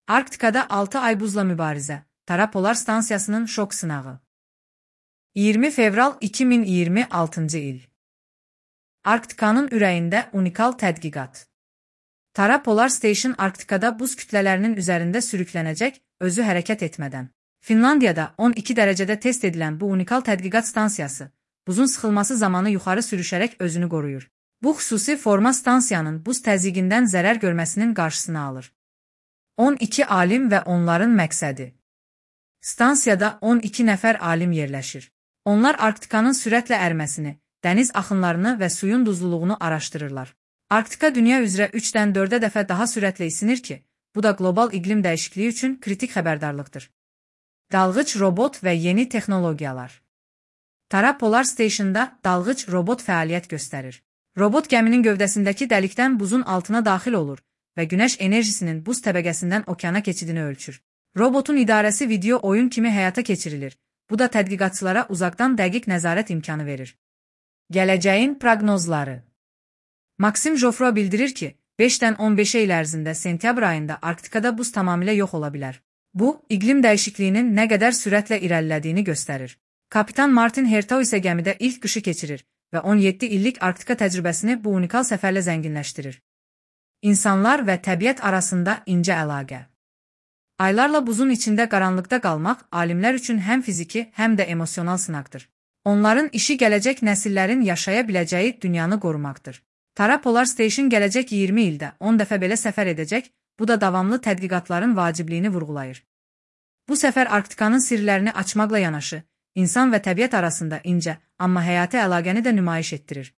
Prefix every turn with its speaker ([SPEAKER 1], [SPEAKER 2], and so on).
[SPEAKER 1] Arktikada 6 ay buzla mübarizə. Tara Polar Stansiyasının şok sınağı. 20 fevral 2026 il. Arktikanın ürəyində unikal tədqiqat. Tara Polar Station Arktikada buz kütlələrinin üzərində sürüklənəcək, özü hərəkət etmədən. Finlandiyada 12 dərəcədə test edilən bu unikal tədqiqat stansiyası, buzun sıxılması zamanı yuxarı sürüşərək özünü qoruyur. Bu xüsusi forma stansiyanın buz təzyiqindən zərər görməsinin qarşısını alır. 12 alim və onların məqsədi. Stansiyada 12 nəfər alim yerləşir. Onlar Arktikanın sürətlə ərməsini, dəniz axınlarını və suyun duzluluğunu araşdırırlar. Arktika dünya üzrə 3-dən 4-ə dəfə daha sürətlə isinir ki, bu da qlobal iqlim dəyişikliyi üçün kritik xəbərdarlıqdır. Dalğıc robot və yeni texnologiyalar. Tara Polar Station'da dalğıc robot fəaliyyət göstərir. Robot gəminin gövdəsindəki dəlikdən buzun altına daxil olur və günəş enerjisinin buz təbəqəsindən okeana keçidini ölçür. Robotun idarəsi video oyun kimi həyata keçirilir. Bu da tədqiqatçılara uzaqdan dəqiq nəzarət imkanı verir. Gələcəyin proqnozları. Maksim Jofro bildirir ki, 5-dən 15 il ərzində sentyabr ayında Arktikada buz tamamilə yox ola bilər. Bu, iqlim dəyişikliyinin nə qədər sürətlə irəlilədiyini göstərir. Kapitan Martin Hertau isə gəmidə ilk qışı keçirir və 17 illik Arktika təcrübəsini bu unikal səfərlə zənginləşdirir. İnsanlar və təbiət arasında incə əlaqə. Aylarla buzun içində qaranlıqda qalmaq alimlər üçün həm fiziki, həm də emosional sınaqdır. Onların işi gələcək nəsillərin yaşaya biləcəyi dünyanı qorumaqdır. Tara Polar Station gələcək 20 ildə 10 dəfə belə səfər edəcək, bu da davamlı tədqiqatların vacibliyini vurğulayır. Bu səfər Arktikanın sirlərini açmaqla yanaşı, insan və təbiət arasında incə, amma həyati əlaqəni də nümayiş etdirir.